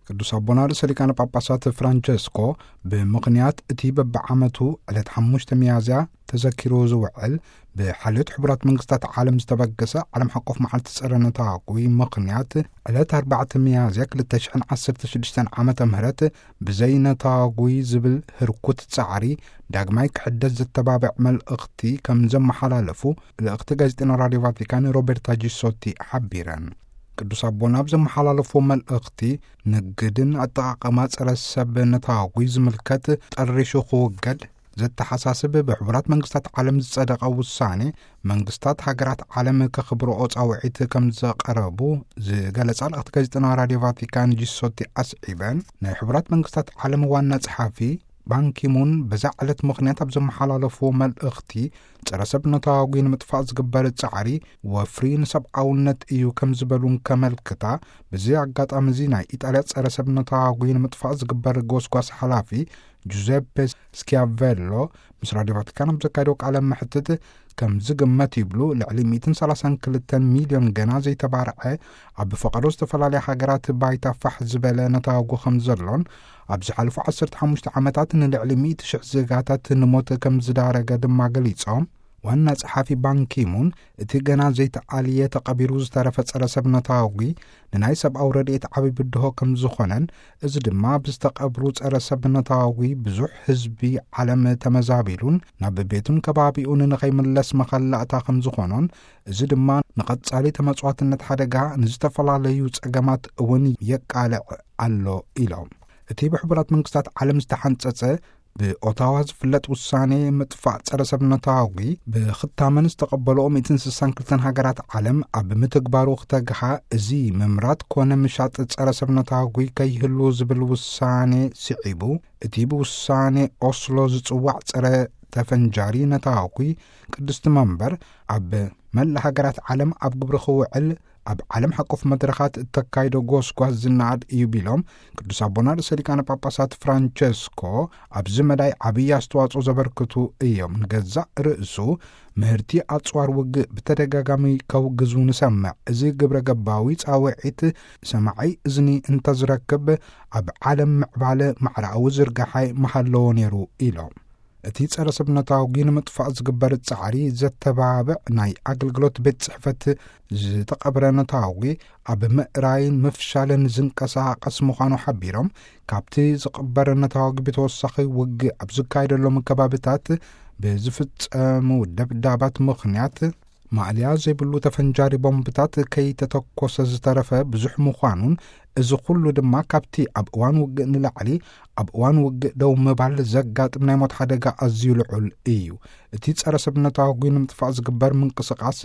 ቅዱስ ኣቦና ርእሰ ሊቃነ ጳጳሳት ፍራንቸስኮ፣ ብምኽንያት እቲ በብዓመቱ ዕለት ሓሙሽተ ሚያዝያ ተዘኪሩ ዝውዕል ብሓልዮት ሕቡራት መንግስታት ዓለም ዝተበገሰ ዓለም ሓቆፍ መዓልቲ ጸረ ነታጒ ምኽንያት፣ ዕለት ኣርባዕተ ሚያዝያ ክልተ ሽሕን ዓሰርተ ሽዱሽተን ዓመተ ምህረት ብዘይ ነታጒ ዝብል ህርኩት ጻዕሪ ዳግማይ ክሕደስ ዘተባብዕ መልእኽቲ ከም ዘመሓላለፉ ልእኽቲ ጋዜጠኛ ራድዮ ቫቲካን ሮቤርታ ጂሶቲ ሓቢረን። ቅዱስ ኣቦና ኣብ ዘመሓላለፎ መልእኽቲ፣ ንግድን ኣጠቓቕማ ጸረ ሰብ ነታጒ ዝምልከት ጠሪሹ ክውገድ ዘተሓሳስብ ብሕቡራት መንግስታት ዓለም ዝጸደቐ ውሳኔ፣ መንግስታት ሃገራት ዓለም ከኽብርኦ ጻውዒት ከም ዘቐረቡ ዝገለጻ ልእኽቲ ጋዜጠኛ ራድዮ ቫቲካን ጂሶቲ ኣስዒበን፣ ናይ ሕቡራት መንግስታት ዓለም ዋና ጸሓፊ ባንኪሙን በዛ ዕለት ምኽንያት ኣብ ዘመሓላለፍዎ መልእኽቲ፣ ጸረ ሰብ ነታጒ ንምጥፋእ ዝግበር ጻዕሪ ወፍሪ ንሰብኣውነት እዩ ከም ዝበሉን ከመልክታ፣ በዚ ኣጋጣሚ እዚ ናይ ኢጣልያ ጸረ ሰብ ነታጒ ንምጥፋእ ዝግበር ጎስጓስ ሓላፊ ጁዜፔ ስኪያቬሎ ምስ ራድዮ ቫቲካን ኣብ ዘካየደዎ ቃለ መሕትት፣ ከም ዝግመት ይብሉ ልዕሊ ሚእትን ሰላሳን ክልተን ሚልዮን ገና ዘይተባርዐ፣ ኣብ ፈቐዶ ዝተፈላለያ ሃገራት ባይታ ፋሕ ዝበለ ነታጒ ከም ዘሎን፣ ኣብ ዝሓለፉ ዓሰርተ ሓሙሽተ ዓመታት ንልዕሊ ሚእቲ ሽሕ ዜጋታት ንሞት ከም ዝዳረገ ድማ ገሊጾም። ዋና ጸሓፊ ባንኪሙን፣ እቲ ገና ዘይተኣልየ ተቐቢሩ ዝተረፈ ጸረ ሰብ ነታጒ ንናይ ሰብኣዊ ረድኤት ዓቢ ብድሆ ከም ዝኾነን፣ እዚ ድማ ብዝተቐብሩ ጸረ ሰብ ነታጒ ብዙሕ ህዝቢ ዓለም ተመዛቢሉን ናብ ቤቱን ከባቢኡን ንኸይምለስ መኸላእታ ከም ዝኾኖን፣ እዚ ድማ ንቐጻሊ ተመጽዋትነት ሓደጋ ንዝተፈላለዩ ጸገማት እውን የቃልዕ ኣሎ ኢሎም። እቲ ብሕቡራት መንግስታት ዓለም ዝተሓንጸጸ ብኦታዋ ዝፍለጥ ውሳኔ ምጥፋእ ጸረ ሰብ ነታጒ ብኽታመን ዝተቐበልኦ ሚእትን ስሳን ክልተን ሃገራት ዓለም ኣብ ምትግባሩ ክተግሃ፣ እዚ ምምራት ኮነ ምሻጥ ጸረ ሰብ ነታጒ ከይህሉ ዝብል ውሳኔ ስዒቡ፣ እቲ ብውሳኔ ኦስሎ ዝጽዋዕ ጸረ ተፈንጃሪ ነታጒ ቅድስቲ መንበር ኣብ መላእ ሃገራት ዓለም ኣብ ግብሪ ክውዕል ኣብ ዓለም ሓቆፍ መድረኻት እተካይዶ ጎስጓስ ዝነኣድ እዩ ቢሎም፣ ቅዱስ ኣቦና ርእሰ ሊቃነ ጳጳሳት ፍራንቸስኮ ኣብዚ መዳይ ዓብዪ ኣስተዋጽኦ ዘበርክቱ እዮም። ንገዛእ ርእሱ ምህርቲ ኣጽዋር ውግእ ብተደጋጋሚ ከውግዙ ንሰምዕ። እዚ ግብረ ገባዊ ጻውዒት ሰማዒ እዝኒ እንተዝረክብ፣ ኣብ ዓለም ምዕባለ ማዕረኣዊ ዝርጋሐ ምሃለዎ ነይሩ ኢሎም። እቲ ጸረ ሰብ ነታጒ ንምጥፋእ ዝግበር ጻዕሪ ዘተባብዕ ናይ ኣገልግሎት ቤት ጽሕፈት ዝተቐብረ ነታጒ ኣብ ምእራይን ምፍሻልን ዝንቀሳቐስ ምዃኑ ሓቢሮም፣ ካብቲ ዝቐበረ ነታጒ ብተወሳኺ ውግእ ኣብ ዝካየደሎም ከባቢታት ብዝፍጸሙ ደብዳባት ምኽንያት ማእለያ ዘይብሉ ተፈንጃሪ ቦምብታት ከይተተኮሰ ዝተረፈ ብዙሕ ምዃኑን፣ እዚ ኩሉ ድማ ካብቲ ኣብ እዋን ውግእ ንላዕሊ ኣብ እዋን ውግእ ደው ምባል ዘጋጥም ናይ ሞት ሓደጋ ኣዝዩ ልዑል እዩ። እቲ ጸረ ሰብ ነታጒ ንምጥፋእ ዝግበር ምንቅስቓስ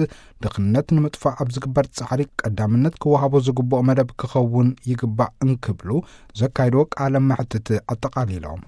ድኽነት ንምጥፋእ ኣብ ዝግበር ጻዕሪ ቀዳምነት ክወሃቦ ዝግብኦ መደብ ክኸውን ይግባእ እንክብሉ ዘካየድዎ ቃለ መሕትት ኣጠቓሊሎም።